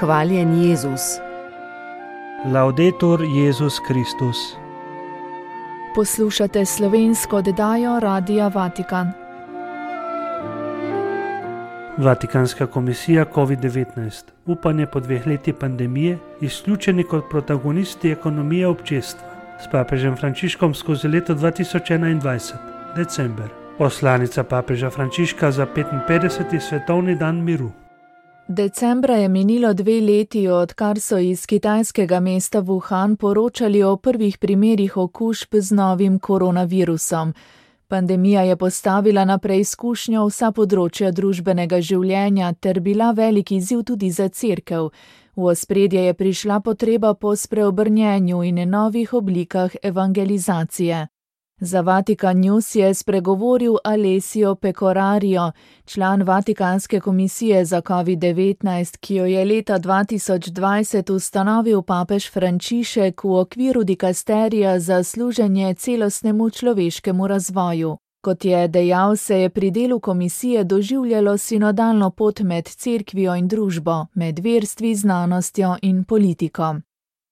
Hvaljen Jezus. Laudetur Jezus Kristus. Poslušate slovensko oddajo Radia Vatikan. Vatikanska komisija COVID-19. Upanje po 2 letih pandemije, izključeni kot protagonisti ekonomije občestva. S papežem Frančiškom skozi leto 2021. December. Poslanica papeža Frančiška za 55. svetovni dan miru. Decembra je minilo 2 leti, odkar so iz kitajskega mesta Wuhan poročali o prvih primerih okužb z novim koronavirusom. Pandemija je postavila na preizkušnjo vsa področja družbenega življenja ter bila velik izziv tudi za cerkev. V ospredje je prišla potreba po spreobrnjenju in novih oblikah evangelizacije. Za Vatikan News je spregovoril Alessio Pecorario, član Vatikanske komisije za COVID-19, ki jo je leta 2020 ustanovil papež Frančišek v okviru dikasterija za služenje celostnemu človeškemu razvoju. Kot je dejal, se je pri delu komisije doživljalo sinodalno pot med cerkvijo in družbo, med verstvi, znanostjo in politiko.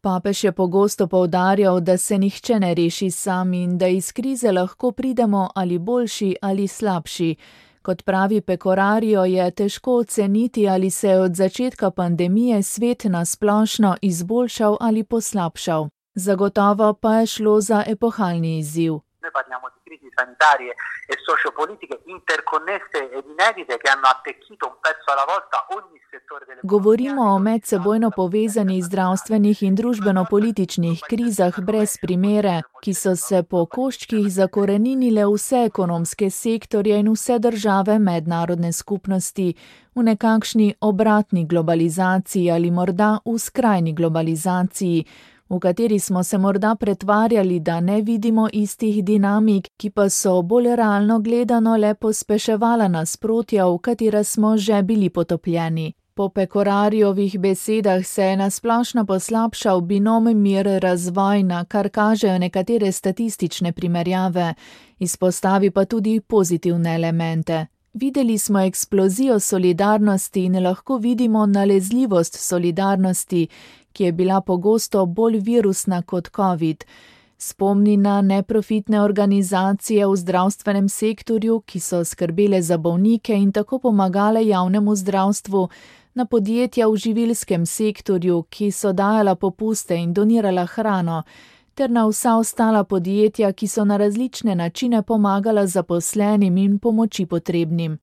Papež je pogosto poudarjal, da se nihče ne reši sam in da iz krize lahko pridemo ali boljši ali slabši. Kot pravi Pecorario, je težko oceniti, ali se je od začetka pandemije svet na splošno izboljšal ali poslabšal. Zagotovo pa je šlo za epohalni izziv. Noi parliamo di crisi sanitarie e sociopolitiche interconnesse ed inedite che hanno attecchito un pezzo alla volta ogni settore delle. Govorimo o medsebojno povezanih zdravstvenih in družbeno-političnih krizah brez primere, ki so se po koščkih zakoreninile vse ekonomske sektorje in vse države mednarodne skupnosti v nekakšni obratni globalizaciji ali morda v skrajni globalizaciji, v kateri smo se morda pretvarjali, da ne vidimo istih dinamik, ki pa so bolj realno gledano le pospeševala nasprotja, v katera smo že bili potopljeni. Po Pecorariovih besedah se je nasplošno poslabšal binom mir-razvoj, na kar kažejo nekatere statistične primerjave, izpostavi pa tudi pozitivne elemente. Videli smo eksplozijo solidarnosti in lahko vidimo nalezljivost solidarnosti, ki je bila pogosto bolj virusna kot COVID. Spomni na neprofitne organizacije v zdravstvenem sektorju, ki so skrbele za bolnike in tako pomagale javnemu zdravstvu, na podjetja v živilskem sektorju, ki so dajala popuste in donirala hrano, ter na vsa ostala podjetja, ki so na različne načine pomagala zaposlenim in pomoči potrebnim.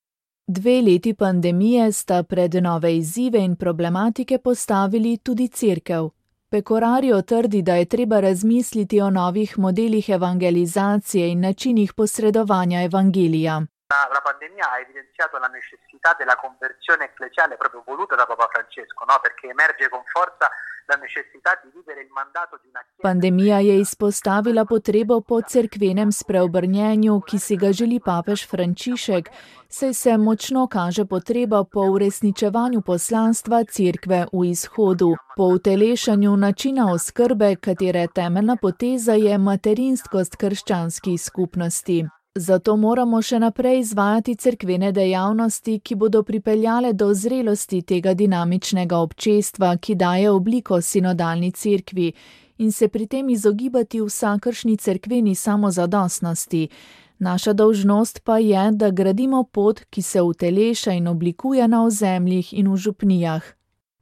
2 leti pandemije sta pred nove izzive in problematike postavili tudi cerkev. Pecorario trdi, da je treba razmisliti o novih modelih evangelizacije in načinih posredovanja evangelija. La pandemia ha evidenziato la necessità della conversione ecclesiale proprio voluta da Papa Francesco, no? Perché emerge con forza la necessità di vivere il mandato di una chiesa. Pandemija je izpostavila potrebo po cerkvenem spreobrnjenju, ki si ga želi papež Frančišek, saj se močno kaže potreba po uresničevanju poslanstva cerkve v izhodu, po utelešanju načina oskrbe, katere temeljna poteza je materinskost krščanskih skupnosti. Zato moramo še naprej izvajati cerkvene dejavnosti, ki bodo pripeljale do zrelosti tega dinamičnega občestva, ki daje obliko sinodalni cerkvi, in se pri tem izogibati vsakršni cerkveni samozadostnosti. Naša dolžnost pa je, da gradimo pot, ki se uteleša in oblikuje na ozemljih in v župnijah.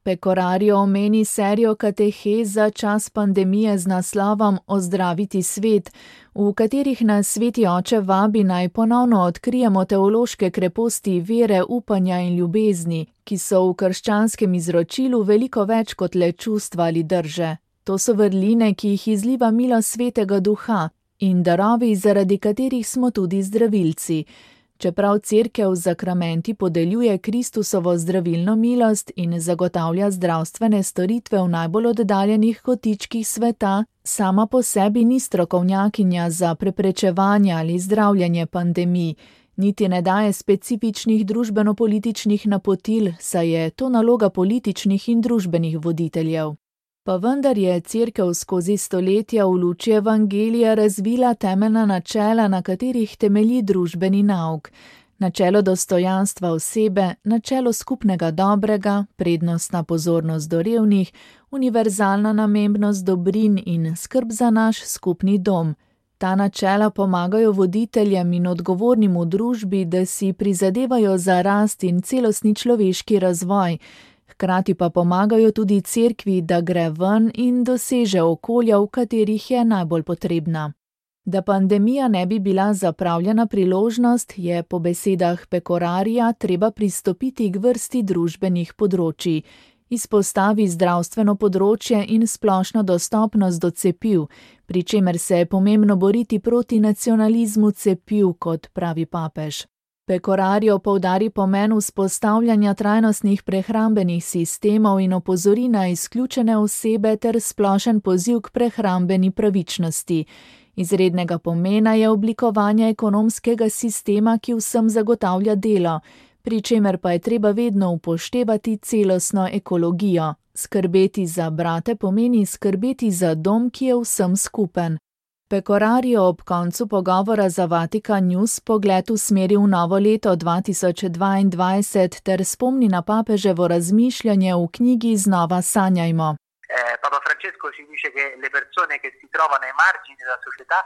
Pecorario omeni serijo katehez za čas pandemije z naslovom Ozdraviti svet, v katerih nas Sveti Oče vabi naj ponovno odkrijemo teološke kreposti vere, upanja in ljubezni, ki so v krščanskem izročilu veliko več kot le čustva ali drže. To so vrline, ki jih izliva milost Svetega Duha in darovi, zaradi katerih smo tudi zdravilci. Čeprav cerkev z zakramenti podeljuje Kristusovo zdravilno milost in zagotavlja zdravstvene storitve v najbolj oddaljenih kotičkih sveta, sama po sebi ni strokovnjakinja za preprečevanje ali zdravljenje pandemij, niti ne daje specifičnih družbeno-političnih napotil, saj je to naloga političnih in družbenih voditeljev. Pa vendar je cerkev skozi stoletja v luči evangelija razvila temeljna načela, na katerih temelji družbeni nauk. Načelo dostojanstva osebe, načelo skupnega dobrega, prednostna pozornost do revnih, univerzalna namembnost dobrin in skrb za naš skupni dom. Ta načela pomagajo voditeljem in odgovornim v družbi, da si prizadevajo za rast in celostni človeški razvoj, hkrati pa pomagajo tudi cerkvi, da gre ven in doseže okolja, v katerih je najbolj potrebna. Da pandemija ne bi bila zapravljena priložnost, je po besedah Pecorarija treba pristopiti k vrsti družbenih področij. Izpostavi zdravstveno področje in splošno dostopnost do cepiv, pri čemer se je pomembno boriti proti nacionalizmu cepiv, kot pravi papež. Pecorarijo poudari pomen vzpostavljanja trajnostnih prehrambenih sistemov in opozori na izključene osebe ter splošen poziv k prehrambeni pravičnosti. Izrednega pomena je oblikovanje ekonomskega sistema, ki vsem zagotavlja delo, pri čemer pa je treba vedno upoštevati celostno ekologijo. Skrbeti za brate pomeni skrbeti za dom, ki je vsem skupen. Pecorarijo ob koncu pogovora za Vatikan News pogled usmeri v novo leto 2022 ter spomni na papeževo razmišljanje v knjigi Znova sanjajmo. Papa Francesco ci dice che le persone che si trovano ai margini della società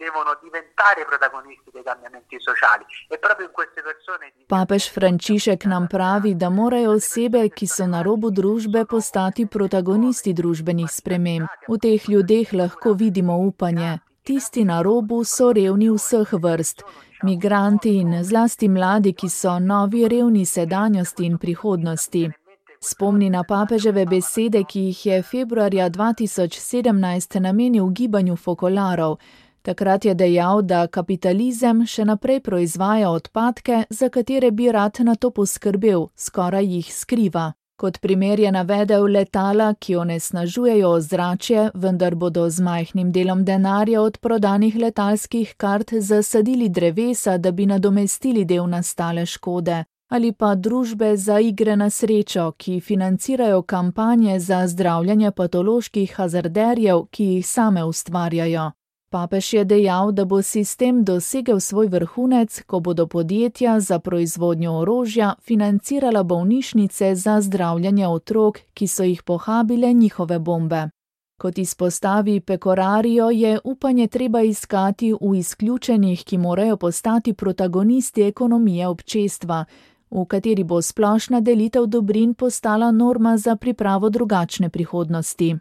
devono diventare protagonisti dei cambiamenti sociali e proprio in queste persone. Papež Frančišek nam pravi, da morajo osebe, ki so na robu družbe, postati protagonisti družbenih sprememb. V teh ljudeh lahko vidimo upanje. Tisti na robu so revni vseh vrst, migranti in zlasti mladi, ki so novi revni sedanjosti in prihodnosti. Spomni na papeževe besede, ki jih je februarja 2017 namenil gibanju fokolarov. Takrat je dejal, da kapitalizem še naprej proizvaja odpadke, za katere bi rad na to poskrbel, skoraj jih skriva. Kot primer je navedel letala, ki onesnažujejo ozračje, vendar bodo z majhnim delom denarja od prodanih letalskih kart zasadili drevesa, da bi nadomestili del nastale škode. Ali pa družbe za igre na srečo, ki financirajo kampanje za zdravljenje patoloških hazarderjev, ki jih same ustvarjajo. Papež je dejal, da bo sistem dosegel svoj vrhunec, ko bodo podjetja za proizvodnjo orožja financirala bolnišnice za zdravljenje otrok, ki so jih pohabile njihove bombe. Kot izpostavi Pecorarijo, je upanje treba iskati v izključenih, ki morajo postati protagonisti ekonomije občestva, v kateri bo splošna delitev dobrin postala norma za pripravo drugačne prihodnosti.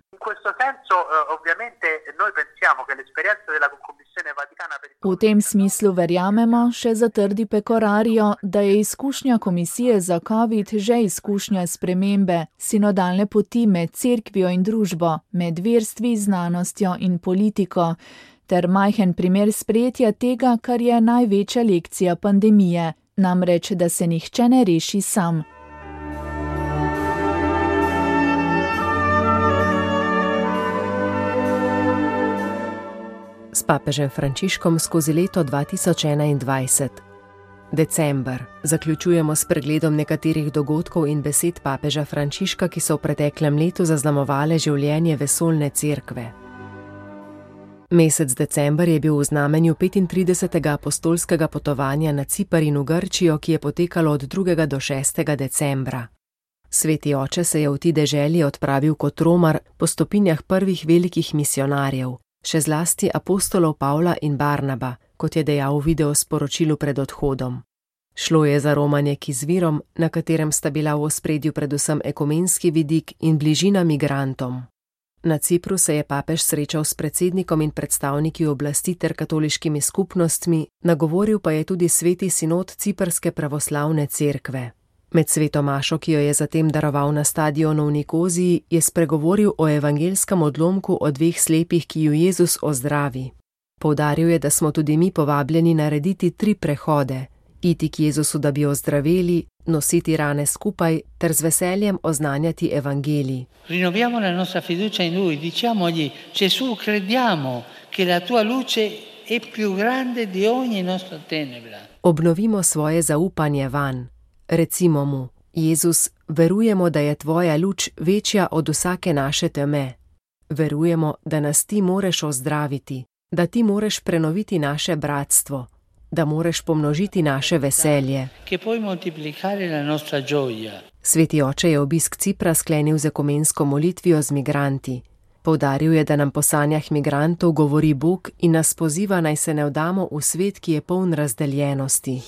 V tem smislu verjamemo, še zatrdi Pecorarijo, da je izkušnja komisije za COVID že izkušnja spremembe, sinodalne poti med cerkvijo in družbo, med verstvi, znanostjo in politiko, ter majhen primer sprejetja tega, kar je največja lekcija pandemije, namreč, da se nihče ne reši sam. S papežem Frančiškom skozi leto 2021. December. Zaključujemo s pregledom nekaterih dogodkov in besed papeža Frančiška, ki so v preteklem letu zaznamovale življenje vesoljne cerkve. Mesec december je bil v znamenju 35. apostolskega potovanja na Ciper in v Grčijo, ki je potekalo od 2. do 6. decembra. Sveti oče se je v ti deželi odpravil kot romar po stopinjah prvih velikih misionarjev, še zlasti apostolov Pavla in Barnaba, kot je dejal v videosporočilu pred odhodom. Šlo je za romanje k izvirom, na katerem sta bila v ospredju predvsem ekumenski vidik in bližina migrantom. Na Cipru se je papež srečal s predsednikom in predstavniki oblasti ter katoliškimi skupnostmi, nagovoril pa je tudi sveti sinod Ciprske pravoslavne cerkve. Med sveto mašo, ki jo je zatem daroval na stadionu v Nikoziji, je spregovoril o evangelskem odlomku o 2 slepih, ki ju Jezus ozdravi. Poudaril je, da smo tudi mi povabljeni narediti 3 prehode, iti k Jezusu, da bi ozdraveli, nositi rane skupaj ter z veseljem oznanjati evangelij. Rinnoviamo la nostra fiducia in Lui, diciamogli: Gesù, crediamo che la tua luce è più grande di ogni nostra tenebra. Obnovimo svoje zaupanje vanj. Recimo mu: Jezus, verujemo, da je tvoja luč večja od vsake naše teme. Verujemo, da nas ti moreš ozdraviti, da ti moreš prenoviti naše bratstvo. da moreš pomnožiti naše veselje. Sveti oče je obisk Cipra sklenil z ekumensko molitvijo z migranti. Poudaril je, da nam po sanjah migrantov govori Bog in nas poziva, naj se ne vdamo v svet, ki je poln razdeljenosti.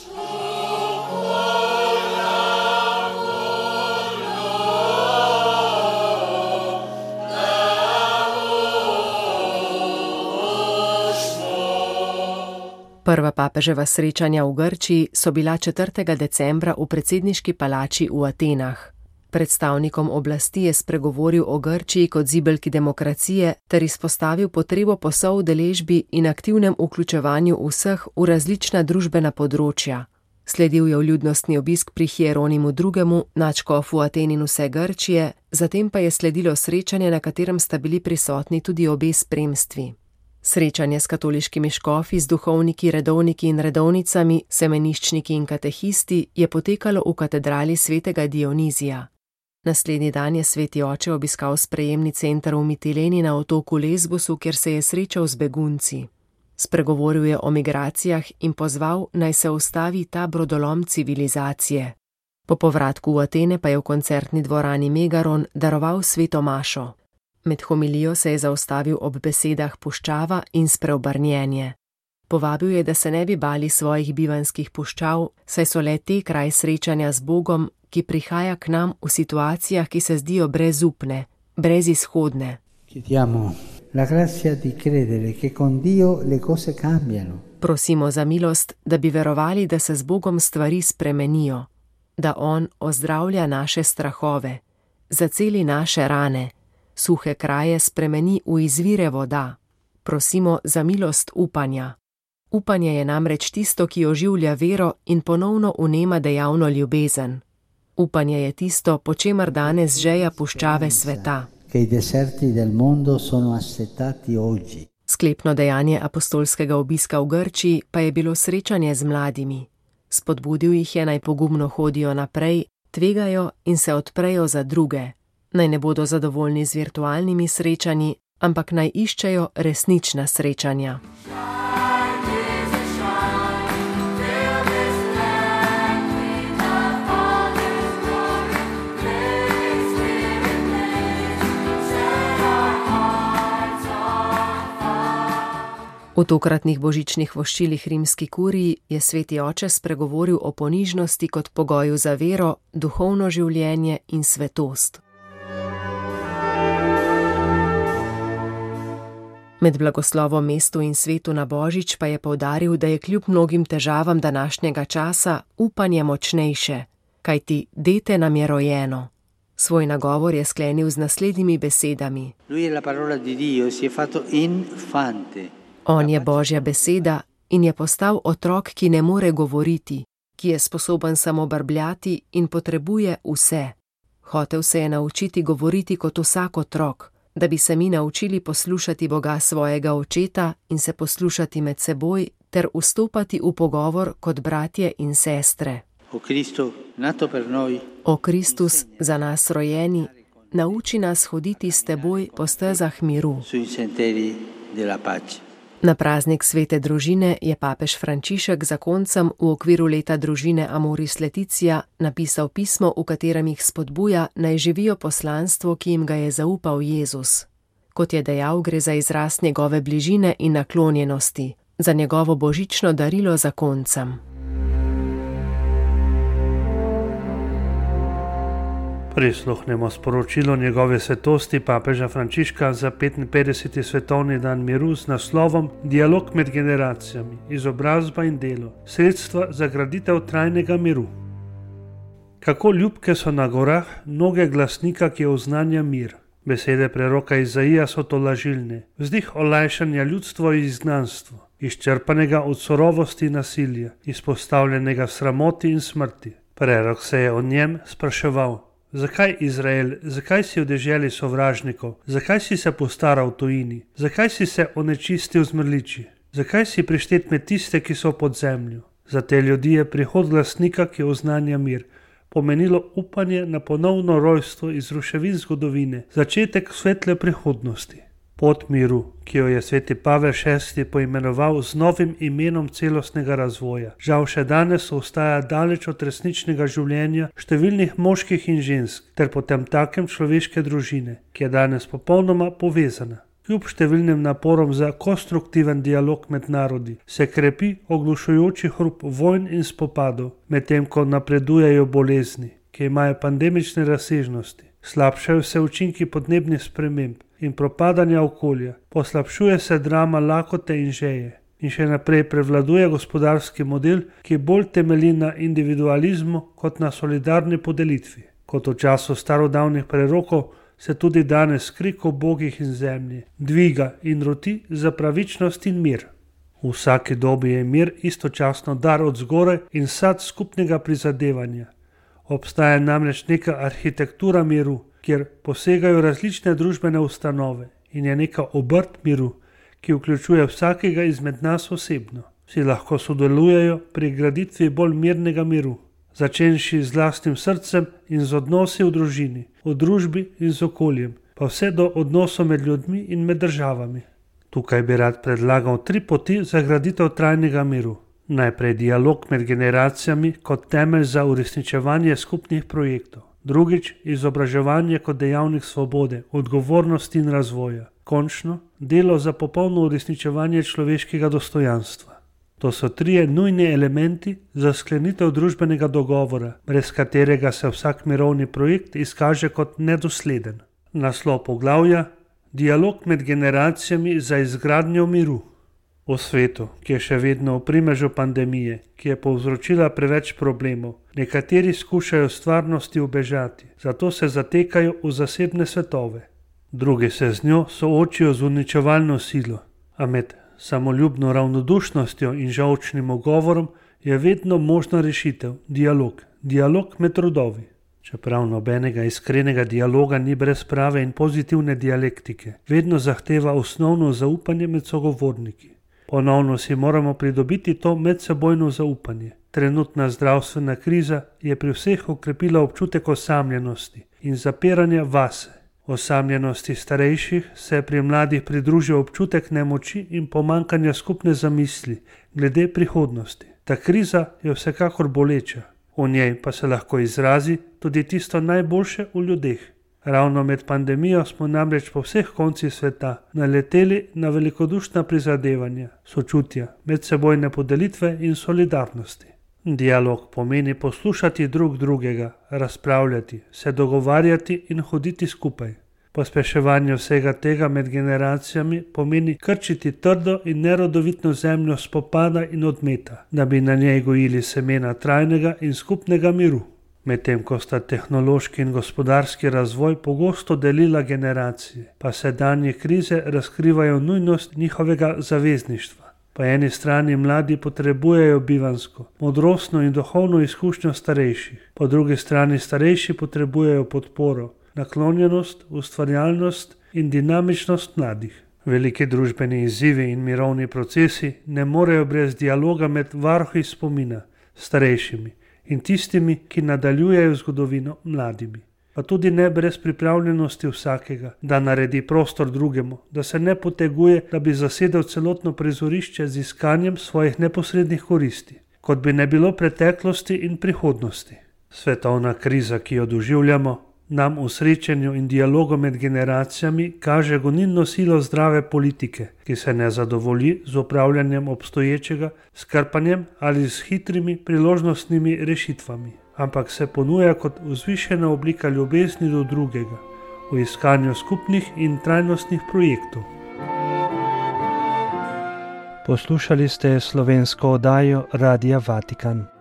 Prva papeževa srečanja v Grčiji so bila 4. decembra v predsedniški palači v Atenah. Predstavnikom oblasti je spregovoril o Grčiji kot zibelki demokracije ter izpostavil potrebo po soudeležbi in aktivnem vključevanju vseh v različna družbena področja. Sledil je vljudnostni obisk pri Hieronimu II., nadškofu Aten in vse Grčije, zatem pa je sledilo srečanje, na katerem sta bili prisotni tudi obe spremstvi. Srečanje s katoliškimi škofi, z duhovniki, redovniki in redovnicami, semeniščniki in katehisti je potekalo v katedrali svetega Dionizija. Naslednji dan je sveti oče obiskal sprejemni center v Mitileni na otoku Lesbosu, kjer se je srečal z begunci. Spregovoril je o migracijah in pozval, naj se ustavi ta brodolom civilizacije. Po povratku v Atene pa je v koncertni dvorani Megaron daroval sveto mašo. Med homilijo se je zaustavil ob besedah puščava in spreobrnjenje. Povabil je, da se ne bi bali svojih bivanskih puščav, saj so le te kraj srečanja z Bogom, ki prihaja k nam v situacijah, ki se zdijo brezupne, brezizhodne. Prosimo za milost, da bi verovali, da se z Bogom stvari spremenijo, da On ozdravlja naše strahove, zaceli naše rane, suhe kraje spremeni v izvire voda. Prosimo za milost upanja. Upanje je namreč tisto, ki oživlja vero in ponovno vnema dejavno ljubezen. Upanje je tisto, po čemer danes žeja puščave sveta. Sklepno dejanje apostolskega obiska v Grčiji pa je bilo srečanje z mladimi. Spodbudil jih je, naj pogumno hodijo naprej, tvegajo in se odprejo za druge. Naj ne bodo zadovoljni z virtualnimi srečanji, ampak naj iščejo resnična srečanja. V tokratnih božičnih voščilih rimski kuriji je sveti oče spregovoril o ponižnosti kot pogoju za vero, duhovno življenje in svetost. Med blagoslovom mestu in svetu na božič pa je poudaril, da je kljub mnogim težavam današnjega časa upanje močnejše, kajti dete nam je rojeno. Svoj nagovor je sklenil z naslednjimi besedami. On je Božja beseda in je postal otrok, ki ne more govoriti, ki je sposoben samo brbljati in potrebuje vse. Hotel se je naučiti govoriti kot vsak otrok, da bi se mi naučili poslušati Boga svojega očeta in se poslušati med seboj ter vstopati v pogovor kot bratje in sestre. O Kristus, za nas rojeni, nauči nas hoditi s teboj po stezah miru. Na praznik svete družine je papež Frančišek zakoncem v okviru leta družine Amoris Laetitia napisal pismo, v katerem jih spodbuja, naj živijo poslanstvo, ki jim ga je zaupal Jezus. Kot je dejal, gre za izraz njegove bližine in naklonjenosti, za njegovo božično darilo zakoncem. Prisluhnemo sporočilo njegove svetosti papeža Frančiška za 55. svetovni dan miru z naslovom Dialog med generacijami, izobrazba in delo, sredstva za graditev trajnega miru. Kako ljubke so na gorah noge glasnika, ki oznanja mir. Besede preroka Izaija so tolažilne, vzdih olajšanja ljudstvo in izgnanstvo, izčrpanega od surovosti in nasilja, izpostavljenega sramoti in smrti. Prerok se je o njem spraševal. Zakaj Izrael, zakaj si v deželi sovražnikov, zakaj si se postaral v tujini, zakaj si se onečistil z mrliči, zakaj si prištet med tiste, ki so pod zemljo. Za te ljudi je prihod glasnika, ki oznanja mir, pomenilo upanje na ponovno rojstvo iz ruševin zgodovine, začetek svetle prihodnosti. Pot miru, ki jo je sveti Pavel VI poimenoval z novim imenom celostnega razvoja, žal še danes ostaja daleč od resničnega življenja številnih moških in žensk ter potemtakem človeške družine, ki je danes popolnoma povezana. Kljub številnim naporom za konstruktiven dialog med narodi se krepi oglušujoči hrup vojn in spopadov, medtem ko napredujejo bolezni, ki imajo pandemične razsežnosti. Slabšajo se učinki podnebnih sprememb in propadanja okolja, poslabšuje se drama lakote in žeje in še naprej prevladuje gospodarski model, ki bolj temelji na individualizmu kot na solidarni podelitvi. Kot v času starodavnih prerokov se tudi danes krik o bogih in zemlji dviga in roti za pravičnost in mir. V vsaki dobi je mir istočasno dar od zgoraj in sad skupnega prizadevanja. Obstaja namreč neka arhitektura miru, kjer posegajo različne družbene ustanove in je neka obrt miru, ki vključuje vsakega izmed nas osebno. Vsi lahko sodelujejo pri graditvi bolj mirnega miru, začenši z lastnim srcem in z odnosi v družini, v družbi in z okoljem, pa vse do odnosov med ljudmi in med državami. Tukaj bi rad predlagal 3 poti za graditev trajnega miru. Najprej dialog med generacijami kot temelj za uresničevanje skupnih projektov. Drugič, izobraževanje kot dejavnik svobode, odgovornosti in razvoja. Končno, delo za popolno uresničevanje človeškega dostojanstva. To so 3 nujni elementi za sklenitev družbenega dogovora, brez katerega se vsak mirovni projekt izkaže kot nedosleden. Naslov poglavja: Dialog med generacijami za izgradnjo miru. V svetu, ki je še vedno v primežu pandemije, ki je povzročila preveč problemov, nekateri skušajo stvarnosti ubežati, zato se zatekajo v zasebne svetove. Drugi se z njo soočijo z uničevalno silo, a med samoljubno ravnodušnostjo in žolčnim ugovorom je vedno možna rešitev, dialog med rodovi. Čeprav nobenega iskrenega dialoga ni brez prave in pozitivne dialektike, vedno zahteva osnovno zaupanje med sogovorniki. Ponovno si moramo pridobiti to medsebojno zaupanje. Trenutna zdravstvena kriza je pri vseh okrepila občutek osamljenosti in zapiranja vase. Osamljenosti starejših se pri mladih pridružil občutek nemoči in pomanjkanja skupne zamisli glede prihodnosti. Ta kriza je vsekakor boleča, v njej pa se lahko izrazi tudi tisto najboljše v ljudeh. Ravno med pandemijo smo namreč po vseh koncih sveta naleteli na velikodušna prizadevanja, sočutja, medsebojne podelitve in solidarnosti. Dialog pomeni poslušati drug drugega, razpravljati, se dogovarjati in hoditi skupaj. Pospeševanje vsega tega med generacijami pomeni krčiti trdo in nerodovitno zemljo spopada in odmeta, da bi na njej gojili semena trajnega in skupnega miru. Medtem ko sta tehnološki in gospodarski razvoj pogosto delila generacije, pa sedanje krize razkrivajo nujnost njihovega zavezništva. Po eni strani mladi potrebujejo bivansko, modrostno in duhovno izkušnjo starejših, po drugi strani starejši potrebujejo podporo, naklonjenost, ustvarjalnost in dinamičnost mladih. Veliki družbeni izzivi in mirovni procesi ne morejo brez dialoga med varuhi spomina, starejšimi, in tistimi, ki nadaljujejo zgodovino mladimi. Pa tudi ne brez pripravljenosti vsakega, da naredi prostor drugemu, da se ne poteguje, da bi zasedel celotno prizorišče z iskanjem svojih neposrednih koristi, kot bi ne bilo preteklosti in prihodnosti. Svetovna kriza, ki jo doživljamo, nam v srečanju in dialogu med generacijami kaže gonilno silo zdrave politike, ki se ne zadovolji z upravljanjem obstoječega, s krpanjem ali s hitrimi priložnostnimi rešitvami, ampak se ponuja kot vzvišena oblika ljubezni do drugega, v iskanju skupnih in trajnostnih projektov. Poslušali ste slovensko oddajo Radia Vatikan.